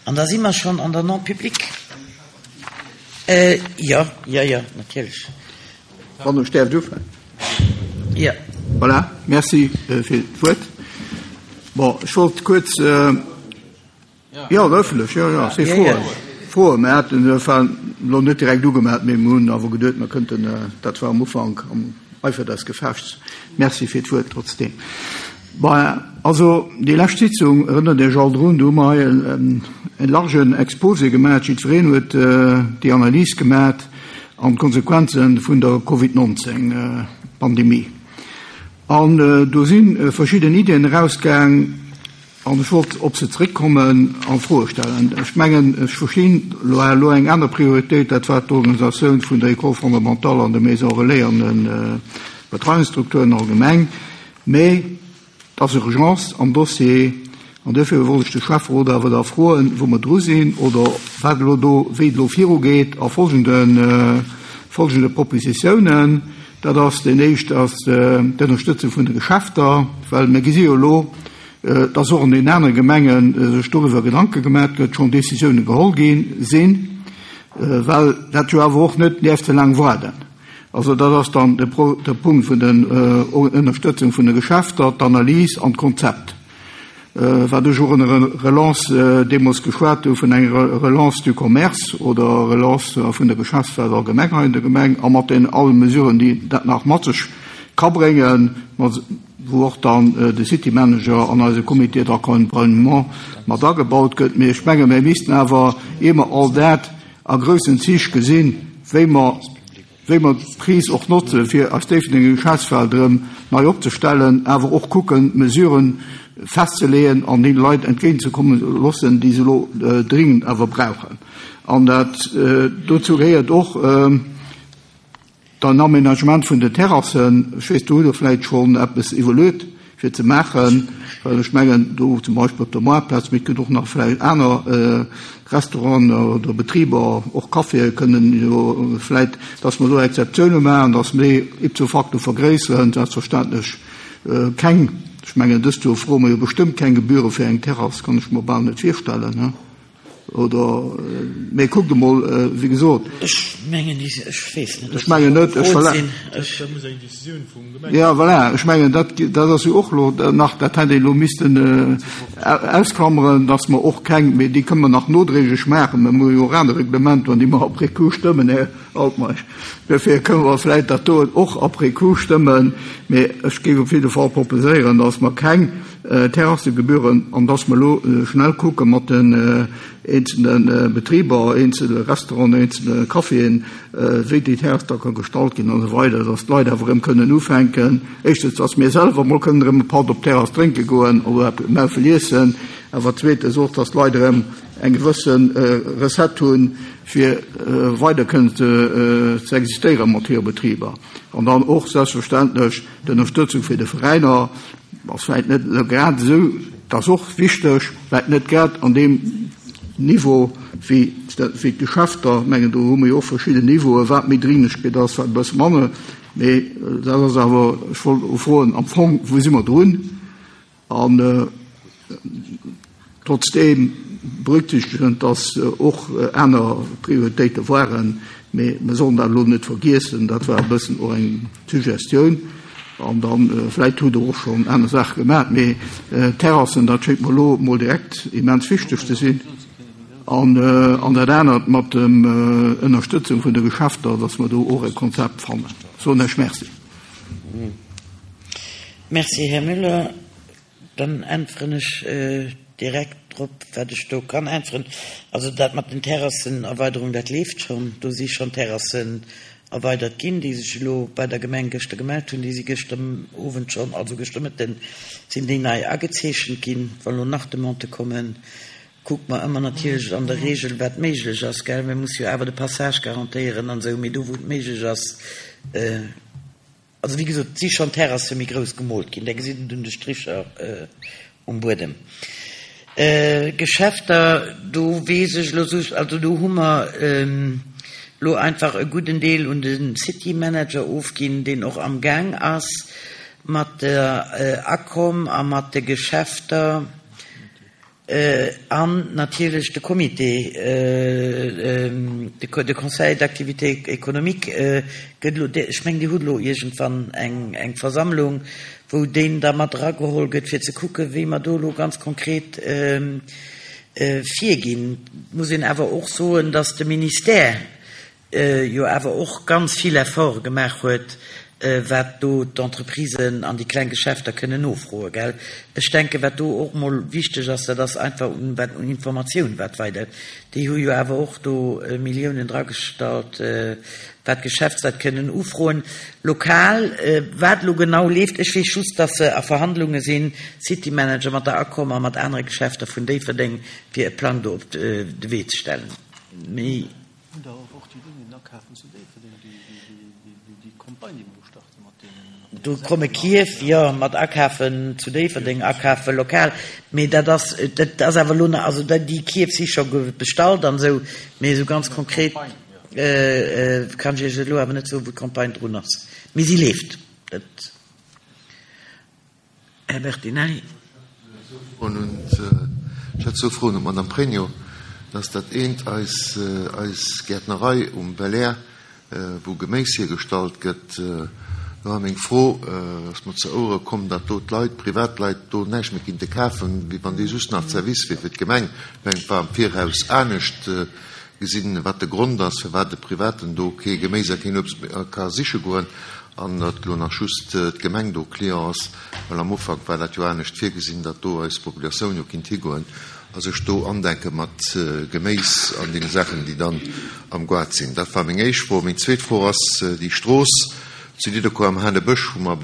An da si mer schonn an der Non-publique. Jo, jo, jo, natierlech. Wann ech däerft ufänken. Jo. Voilà, merci fir d'Wuert. Bon, ech wollt kuerz, jo, ëffentlech, jo, jo, si Froen, Froen. Mir haten elo net direkt ugemellt, mee mir hunn awer geduet, mir kënnten, dat war am Ufank, am Eifer des Gefechts. Merci fir d'Wuert trotzdeem. Bon, also déi lescht Sitzung, erënnert Iech all drun, do hu mer hei e largen Exposé gemaach, jiddwereen huet déi Analys gemaach an d'Konsequenze vun der Covid 19 Pandemie. An do si verschidden Iddien erausgaang an ech wollt op se zeréckkommen a Froe stellen. Ech mengen, ech verstinn elo eng aner Prioritéit, dat war d'Organisatioun vun der École fondamentale an de Maisons relais an de Betreiungsstrukturen allgemeng. Mee et ass Urgence am Dossier an duerfir wollt ech de Schäfferot awer da froen, wou mer dru sinn oder wat elo do, wéi et elo virugeet a folgende, folgende Propositiounen. Dat ass, deen éischt ass d'Ënnerstëtzung vun de Geschäfter, well mir gesi jo elo, dass och an den anere Gemenge sech doriwwer Gedanke gemaach gëtt, schonn Décisiounen geholl gi sinn, well dat jo awer och net däerf ze laang waarden. Also dat ass dann de Punkt vun der Ënnerstëtzung vun de Geschäfter, d'Analys an d'Konzept, wat ech och ënner Relance deemools geschwat hu vun enger Relance du commerce oder Relance vun der Geschäftswelt allgemeng hei an der Gemeng a mat den alle Mesuren, déi dat nach mat sech ka bréngen, wou och dann de City Manager an eise Comité d'accompagnement mat agebaut gëtt. Mee ech menge mir missten awer, ier mer all dat a groussen Zich gesinn, wéi mer, wéi mer d'Kris och notzen, fir eis Déifferdenger Geschäftsfeld erëm nei opzestellen, awer och kucken, Mesuren festzeleeën an deene Leit entgéintzekommen loossen, déi se elo dringend awer brauchen. An dat, dozou gehéiert och, Den Aménagement vun den Terrassen, ech weess, do hutt Der vläicht schonn eppes iwwerluet fir ze maachen, well ech mengen, do zum Beispill op der Moartplaz, mee et gëtt och nach vläicht aner Restauranten oder Betriber, och Caféë kënnen jo vläicht, dass mer do Exceptioune maachen, dass mer déi ipso facto vergréisseren, selbstverständlech keng, ech mengen, dëst Joer froe mer jo bestëmmt keng Gebühre fir eng Terrass, kann ech mer bal net virstellen. Oder, mee kuckt emol, wéi gesot. Ech mengen, ech weess net, Ech mengen net, ech verla. Dat muss eng Décisioun vum Gemengerot. Ja, voilà, ech mengen, dat, dat ass jo och elo nach, dat hätt een elo missten ausklammern, datt mer och keng, mee déi kënne mer nach nodréiglech maachen, mer hu jo och aner Reglementer, déi mer après coup stëmmen, Här Altmeisch. Duerfir kënne mer vläicht dat doen och après coup stëmmen, mee ech géif op jidde Fall proposéieren, datt mer keng Terrassegebühren, an dass mer elo schnell kucke mat den eenzelne Betriber, eenzele Restauranten, eenzele Caféen, wéi déi Terrass da ka gestallt ginn an esou weider, dass d'Leit awer erëm kënnen ufänken, éischtens, dass mir selwer emol kënnen erëm e Patt op d'Terrass drénke goen oder e Maufel iessen, awer zweetens och, dass d'Leit erëm eng gewësse Recette hunn, fir weider kënnen ze existéiere mat hire Betriber. An dann och selbstverständlech d'Ënnerstëtzung fir de Veräiner. Ass vläit net elo grad esou, dat ass och wichteg, vläit net grad an deem Niveau wéi wéi d'Geschäfter. Ech mengen, do hu mer jo och verschidden Niveauen, wat méi Dringlechkeet ass, wat e bësse manner. Mee dat ass awer, ech wollt elo froen am Fong, wou si mer drun? An trotzdeem berücksichtegend, dass och aner Prioritéite waren, mee mir sollen dat elo net vergiessen, dat war e bëssen och eng Suggestioun. An da vläicht hutt Der och schonn aner Saache gemaach, mee d'Terrassen, dat schéngt mer elo emol direkt immens wichteg ze sinn. An dat anert mat dem Ënnerstëtzung vun de Geschäfter, dass mer do och e Konzept fannen. Soen ech Merci. Merci, Här Müller. Dann äntweren ech direkt drop, wat ech do kann äntweren. Also dat mat den Terrassenerweiderung, dat leeft schonn. Do si schonn Terrassen erweidert ginn, déi sech elo bei der Gemeng gëschter gemellt hunn. Déi si gëschter Owend schonn, also gëschter Mëtten sinn déi nei agezeechent ginn. Wa lo nach Demandë kommen, kucke mer ëmmer natierlech an der Regel, wat méiglech ass, gell. Mir musse jo awer de Passage garantéieren an esou. Mee do, wou et méiglech ass, Also wéi gesot, et si schonn Terrasse méi grouss gemoolt ginn, där gesitt et un de Stricher um Buedem. Geschäfter, do weess ech elo just, also do hu mer elo einfach e gudden Deel un de City Manager ofginn, deen och am Gaang ass mat der Acom a mat de Geschäfter. An natierlech de Comité, de Conseil d'activité économique gëtt elo, ech mengen, Dir hutt elo iergendwann eng Versammlung, wou deen da mat erageholl gëtt, fir ze kucken, wéi mer do elo ganz konkret virginn. Et muss een awer och soen, dass de Ministère jo awer och ganz vill Efforte gemaach huet, wat do d'Entreprisen an déi kleng Geschäfter kënnen nofroen, gell. Ech denken, wat do och emol wichteg ass, dat ass einfach un, wat un Informatioun wat weider, déi hu jo awer och do Milliounen dragestallt, wat d'Geschäftsleit kënnen ufroen lokal. Wat elo genau leeft, ech weess just, dass se a Verhandlunge sinn, City Manager mat der Acom a mat anere Geschäfter vun Déifferdeng, fir e Plang do op de Wee ze stellen. Méi. Hunn der och déi Linien akafen zu Déifferdeng, déi Campagne, déi mer elo starten mat deenen. Do komme Kierf, jo, mat akafen zu Déifferdeng, akafe lokal. Mee dat ass, dat ass awer elo nach, also déi Kierf si scho bestallt an esou, mee esou ganz konkret kann ech Iech elo awer net soen, wou d'Campagne drun ass. Mee si leeft. Dat. Här Bertinelli. Ech hätt zwou Froen un d'Madame Pregno. Dat ass dat eent, eis, eis Gäertnerei um Belair, wou Geméis hiergestallt gëtt. Do war meng Fro, ass mer zu Ouere komm, datt do d'Leit, Privatleit do näischt méi kinnte kafen, wéi wann dee just nach Service wier fir d'Gemeng. Ech mengen, et war am Viraus anescht gesinn, wat de Grond ass, firwat e Privaten do kee Geméis a keen Uebst méi ka siche goen. An datt elo nach just d'Gemeng do Client ass, well am Ufank war dat jo anescht virgesinn, datt do eis Populatioun jo kinnt higoen a sech do andenke mat Geméis an deene Saachen, déi dann am Goart sinn. Dat war meng éischt Fro. Meng zweet Fro ass déi Strooss zu Nidderkuer am Hanebësch, wou mer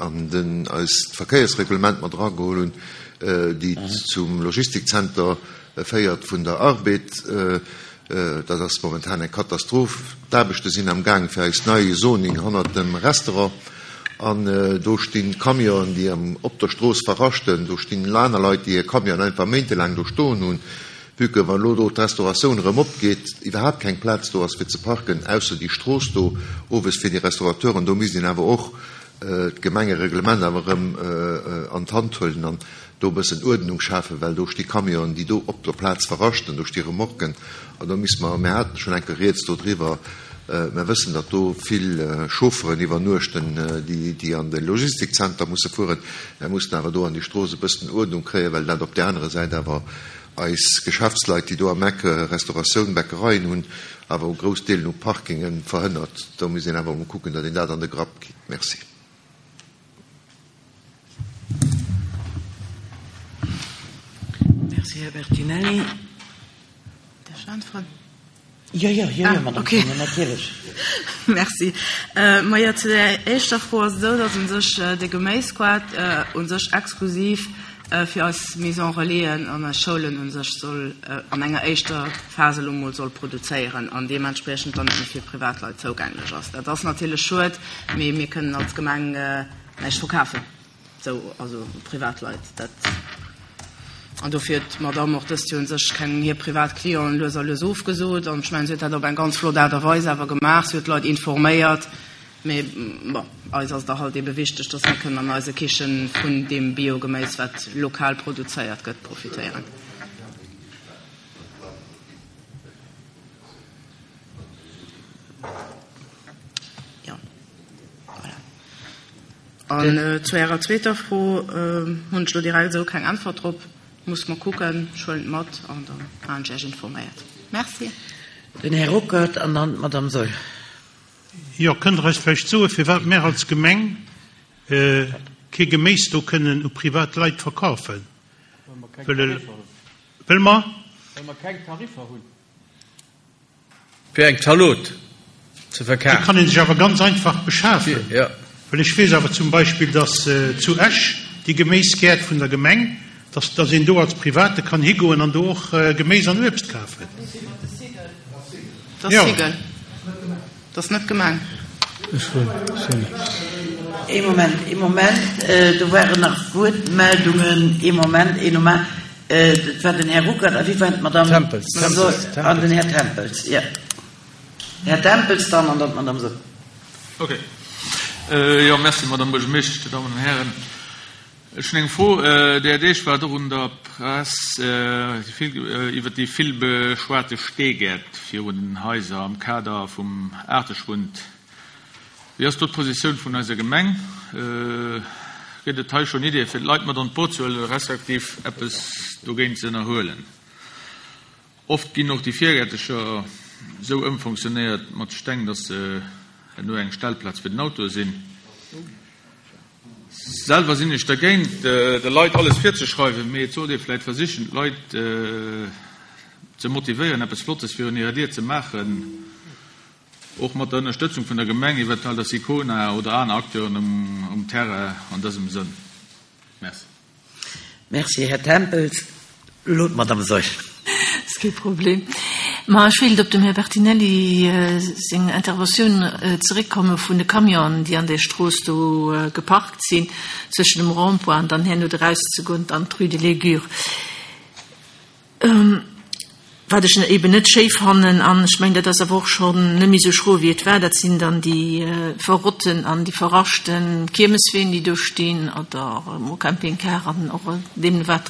an den eist Verkéiersreglement mat erageholl hunn, déi zum Logistikzenter féiert vun der Arbed. Dat ass momentan eng Katastroph. D'Aarbechte sinn am Gaang fir eist nei Zoning hannert dem Restaurant. An do stinn Camionen, déi op der Strooss verraschten. Do stinn aner Leit, déi hir Camionen einfach méintelaang do stoen hunn, vue que, wann elo do d'Restauratioun erëm opgeet, iwwerhaapt keng Plaz do ass fir ze parken, ausser déi Strooss do owes fir déi Restaurateuren. Do misst een awer och d'Gemengereglement awer erëm an d'Hand huelen an do e bëssen Uerdnung schafen, well do sti Camionen, déi do op der Plaz verraschten, do sti Remorquen an do misste mer, mir haten schonn eng Kéier rieds dodriwwer, mer wëssen, datt do vill Chaufferen iwwernuechten, déi an de Logistikzenter musse fueren, mer mussen awer do an déi Strooss e bëssen Uerdnung kréien, well dat op där anerer Säit awer eis Geschäftsleit, déi do am Eck Restauratioun, Bäckereien hunn, awer u grouss Deelen u Parkingen verhënnert. Do misst een awer emol kucken, datt een dat an de Grapp kritt. Merci. Merci, Här Bertinelli. Däerf ech äntweren? Jo, jo, jo, jo, Madame Pregno, natierlech. Merci. Majo, zu där éischter Fro ass et esou, datt u sech de Geméisquart u sech exklusiv fir eis Maison relaisen an eis Schoulen u sech soll an enger éischter Phas elo mol soll produzéieren an deementspriechend dann net méi fir Privatleit zougänglech ass. Dat ass natierlech schued, mee mir kënnen als Gemeng näischt verkafen, esou, also Privatleit. Dat, an dofir huet d'Madamm och dëst Joer u sech keng hir privat Clienten lues a lues ofgesot an ech mengen, si huet dat op eng ganz flott Aart a Weis awer gemaach. Si huet d'Leit informéiert. Mee bon, eis ass et da halt eebe wichteg, dass mir kënnen an eise Kichen vun deem Biogeméis, wat lokal produzéiert gëtt, profitéieren. Jo, voilà. An zu Ärer zweeter Fro hunn ech elo direkt esou keng Äntwert drop. Muss mer kucken. Ech huelen et mat an da halen ech Iech informéiert. Merci. Den Här Ruckert an dann d'Madame Saeul. Jo, kënnt Der eis vläicht soen, firwat mär als Gemeng kee Geméis do kënnen u privat Leit verkafen? Well mer. Well mer keng Tariffer hunn. Fir eng Zalot ze verkafen. Déi kann ee sech awer ganz einfach beschafen. Well ech weess awer zum Beispill, datt zu Esch déi Geméisgäert vun der Gemeng, datt datt een do als Private kann higoen an do och Geméis an Uebst kafen. Dat ass Sigel. Dat ass net d'Gemeng. Ee Moment, ee Moment, do waren nach Wuertmeldungen. Ee Moment, een Moment. Dat war den Här Ruckert a wie war d'Madame? Tempels. Tempels. An den Här Tempels, jo. Här Tempels dann an dann d'Madame Saeul. Okay. Jo, merci, Madame Buergermeeschtesch, Dir Dammen an Hären. Ech hunn eng Fro. Där Deeg war et och un der Press iwwer déi vill beschwate Steegäert virun den Haiser am Kader vum Aarteschwund. Wéi ass do d'Positioun vun eiser Gemeng? Gëtt et hei schonn Ideeë fir d'Leit mat an d'Boot ze huelen, respektiv eppes dogéint ze ënnerhuelen? Oft ginn och déi Virgäertecher esou ëmfonctionnéiert mat Steng, dass se herno eng Stellplaz fir den Auto sinn. Selwer sinn ech dergéint, de Leit alles virzeschreiwen, mee et sollt ee vläit versichen, d'Leit ze motivéieren, eppes Flottes virun hirer Dier ze maachen, och mat der Ënnerstëtzung vun der Gemeng, eventuell der Sicona oder aner Acteuren um Terrain an dësem Sënn. Merci. Merci, Här Tempels. Elo d'Madame Saeul. Ass kee Problem. Ma ech wéilt op dem Här Bertinelli seng Interventioun zeréckkomme vun de Camionen, déi an där Strooss do geparkt sinn, zwëschen dem Rond-point an dann herno erauszegoen an d'Rue de l'Aigure. Wat ech eben net schéi fannen, an ech mengen, dat ass awer och schonn net méi esou schro wéi et war, dat sinn dann déi verrotten an déi verraschte Kiermesween, déi do stinn, oder emol Campingcar an och deemno wat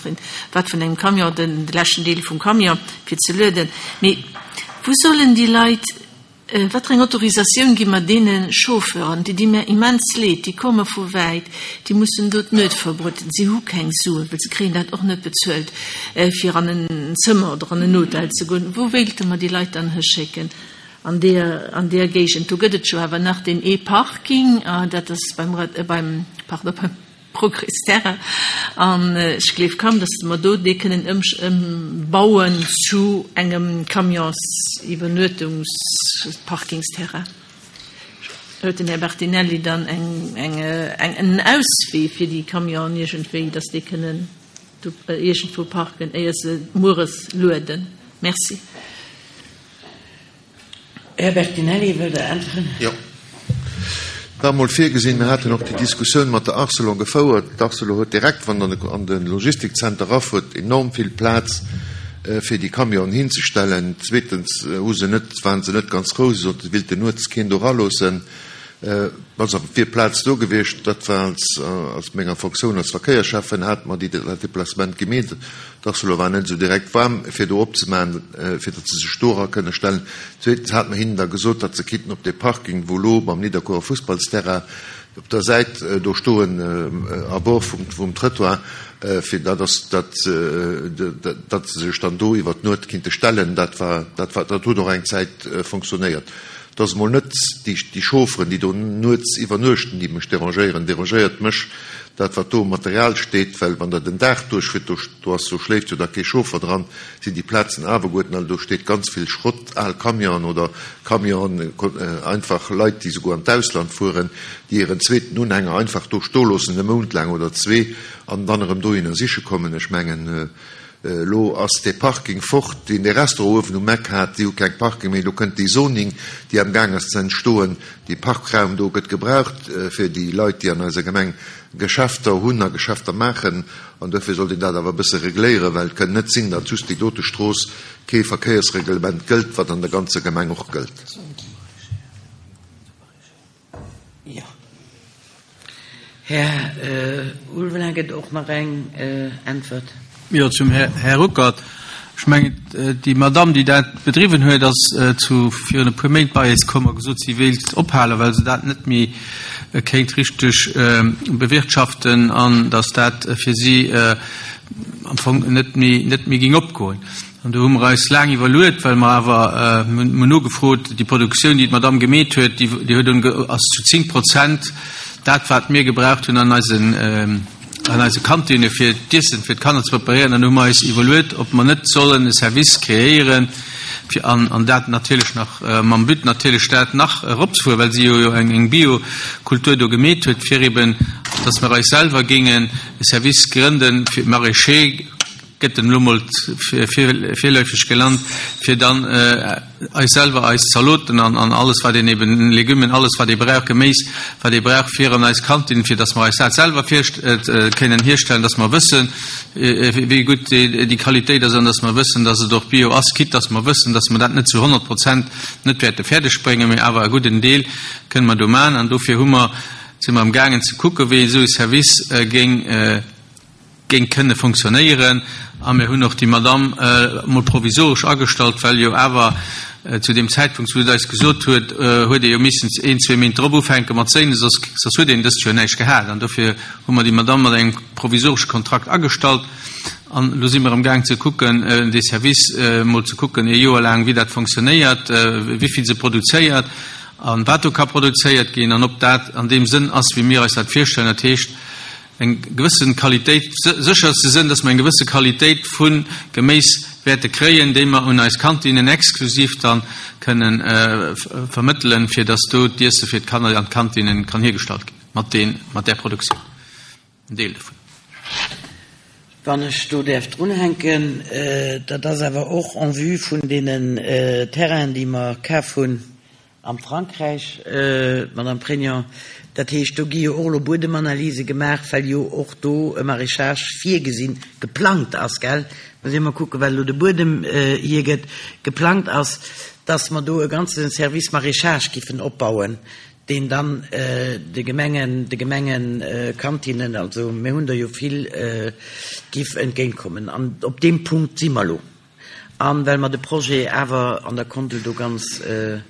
wat vun engem Camion, de leschten Deel vum Camion fir ze lueden. Mee wou sollen déi Leit Wat fir eng Autorisatioun gi mer deene Chauffeuren? Déi di mir immens leed, déi komme vu wäit, déi mussen do d'Nuet verbrueden, si hu keng Suen, well se kréien dat och net bezuelt, fir an en Zëmmer oder an en Hotel ze goen. Wou wéilte mer déi Leit dann hischécken an deer, an deer Géigend? Do gëtt et jo awer nach deen ee Parking, dat ass beim, beim, pardon, beim. Progrès Terrain, an ech gleef kaum, dass mer do dee kënnen ëmbauen zu engem Camions-Iwwernuetungsparkingsterrain. Huet den Här Bertinelli dann eng, eng, en Auswee fir déi Camionen iergendwéi, dass déi kënnen do iergendwou parken, éier se mueres lueden? Merci. Här Bertinelli, wëllt Der äntweren? Jo. War emol virgesinn. Mir haten och déi Diskussioun mat der Arcelor gefouert. D'Arcelor huet direkt, wann Der an de Logistikzenter erafuert, enorm vill Plaz, fir déi Camionen hinzestellen. Zweetens hu se net, waren se net ganz frou, se soten, se wilten nuets keen do eraloossen. Also et wier Plaz do gewiescht. Dat war als, als menger Fonctioun als Verkéierschäffen hate mer déi, dat Deplacement gemeet. D'Arcelor war net esou direkt waarm, fir do opzemaachen, fir datt se sech do era kënne stellen. Zweetens hate mer hinnen da gesot, datt se kinnten op dee Parking, wou elo mam Nidderkuerer Fussballsterrain op der Säit do stoen, à bord vum, vum Trëttoir, fir dat ass, datt, datt se sech dann do iwwer d'Nuet kinnte stellen. Dat war, dat war, dat huet och eng Zäit fonctionnéiert. Et ass emol net déi Chaufferen, déi do nuets iwwernuechten, déi mech derangéieren. Derangéiert mech dat, wat do um Material steet, well wann Der den Dag duerchfuert, do do ass, do schléift jo da kee Chauffer dran, sinn déi Plazen awerguerten all, do steet ganz vill Schrott, al Camionen oder Camionen, einfach Leit, déi souguer an d'Ausland fueren, déi hiren zweeten Unhänger einfach do stoeloossen e Mount laang oder zwee an dann erëm dohinner siche kommen. Ech mengen, Elo ass dee Parking fort, deen dee Restaurant uewen um Eck hat. Déi hu keng Parking méi. Elo kënnt déi Zoning, déi am Gaang ass ze entstoen. Dee Parkraum do gëtt gebraucht fir déi Leit, déi an eiser Gemeng Geschäfter hunn a Geschäfter maachen. An duerfir sollt een dat awer e bësse regléieren, well et kënnt net sinn, datt just déi dote Strooss kee Verkéiersreglement gëllt, wat an der ganzer Gemeng och gëllt. Jo. Här Ulveling gëtt och nach eng Äntwert. Jo, zum Här Ruckert. Ech mengen, déi Madamm, déi dat bedriwwen huet, ass zu virun e puer Méint bei eis komm a gesot, si wéilt ophalen, well se dat net méi kéint richteg bewirtschaften an datt dat fir si am Fong net méi, net méi géing opgoen. An do hu mer eis laang iwwerluet, well mer awer, mir hunn nogefrot, déi Produktioun, déi d'Madame gemeet huet, déi huet un, ass zu 10 Prozent dat, wat mir gebraucht hunn an eisen, an eise Kantinne fir d'Iessen fir d'Kanner ze preparéieren. An do hu mer eis iwwerluet, ob mer net sollen e Service kreéieren, fir, an, an dat natierlech nach mam But natierlech dat nach eropzefueren, well si jo jo eng, eng Biokultur do gemeet huet, fir eben, dass mer eis selwer géingen e Service grënden fir Maraîcher, gëtt en elo mol virleefeg gelant, fir dann eis selwer eis Zaloten an an alles wat een eben, Legummen, alles wat ee brauch, Geméis wat ee brauch fir an eis Kantin, fir datt mer eis dat selwer virst kënnen hierstellen, datt mer wëssen wéi gutt déi Qualitéit ass an datt mer wëssen, datt et och bio ass, quitte datt mer wëssen, datt mer dat net zu 100 Prozent net wäerte fäerdeg bréngen, mee awer e gudden Deel kënne mer do maachen an dofir hu mer. Si mer amgaangen ze kucken, wéi esou e Service géing, géing kënne fonctionnéieren. A mir hunn och déi Madamm emol provisoresch agestallt, well jo awer zu deem Zäitpunkt, wou se et eis gesot huet, huet ee jo missen een, zwee Méint drop ufänke mat séinen, soss, soss huet een dëst Joer näischt gehat. An dofir hu mer déi Madamm mat engem provisoresche Kontrakt agestallt. An elo si mer amgaang ze kucken, dee Service emol ze kucken, ee Joer laang, wéi dat fonctionnéiert, wéi vill se produzéiert a wat do ka produzéiert ginn an ob dat an deem Sënn ass, wéi mir eis dat virstellen, dat heescht eng gewësse Qualitéit, sécher ze sinn, dass mer eng gewësse Qualitéit vu Geméis wäerte kréien, déi mer un eis Kantinnen exklusiv da kënnen vermëttelen, fir dass do d'Iesse fir d'Kanner an d'Kantinnen kann hiergestallt ginn mat deen, mat där Produktioun. En Deel dovun. Wann ech do däerf drunhänken, dat ass awer och en vue vun deenen Terrainen, déi mer kaf hunn am Frankräich, Madame Pregno. Dat heescht, do gi jo och elo Buedemanalyse gemaach, well jo och do e Maraîchage virgesinn, geplangt ass, gell? Muss ee mol kucken, wat elo de Buedem hiergëtt, geplangt ass, dass mer do e ganze Service Maraîchage giffen opbauen, deen dann de Gemengen, de Gemengekantinnen, also mir hunn der jo vill, giff entgéintkommen. An op deem Punkt si mer elo. A well mer de Projet awer an der Kondel do ganz, en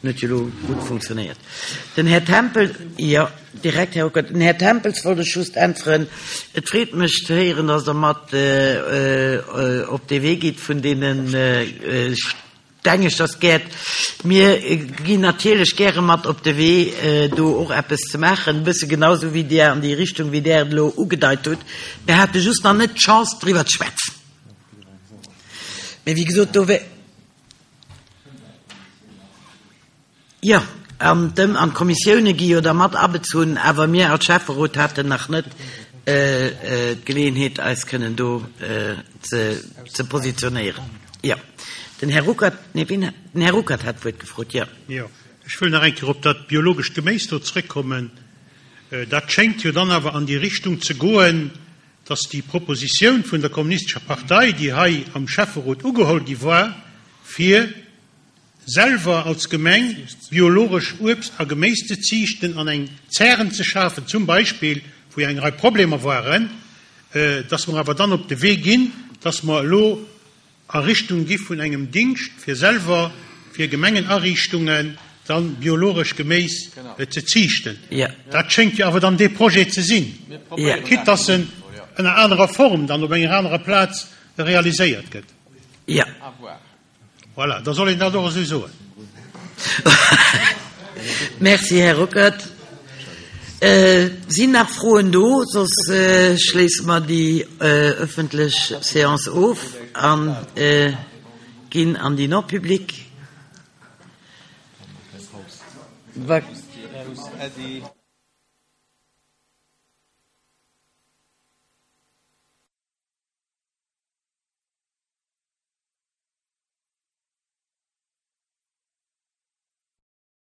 huet jo elo gutt funktionéiert. Den Här Tempel, jo, direkt, Här Ruckert. Den Här Tempels wollt ech just äntweren. Et freet mech ze héieren, dass Der mat op dee Wee gitt vun deene Dengeschtersgäert. Mir ginn natierlech gäre mat op de Wee, do och eppes ze maachen, e bësse genau esou wéi Dir, an déi Richtung, wéi Där et elo ugedeit hutt. Mir hate just nach net d'Chance, driwwer ze schwätzen. Mee wéi gesot, do wär. Jo, an d'Ëm an d'Kommissioune gi jo da mat abezunn, awer mir als Schäfferot haten nach net d'Geleeënheet, eis kënnen do ze positionéieren. Jo, den Här Ruckert, nee, wien hat, den Här Ruckert hat d'Wuert gefrot, jo. Jo, ech wëll nach eng Kéier op dat biologescht Geméis do zrëckkommen. Dat schéngt jo dann awer an déi Richtung ze goen, dass déi Propositioun vun der Kommunistescher Partei, déi hei am Schäfferot ugeholl gi war, fir selwer als Gemeng biologesch Uebst a Geméis ze ziichten an eng Zären ze schafen, zum Beispill, wou jo eng Rei Problemer waren, dass mer awer dann op de Wee ginn, dass mer elo a Richtung gi vun engem Dingscht, fir selwer fir Gemengenariichtungen dann biologesch Geméis ze ziichten. Dat schéngt jo awer dann dee Projet ze sinn, quitte dass en ënner anerer Form dann op enger anerer Plaz realiséiert gëtt. Voilà, da soll een dat och esou soen. Merci, Här Ruckert. Sinn nach Froen do? Soss schléisse mer déi ëffentlech Séance of a ginn an déi non publique.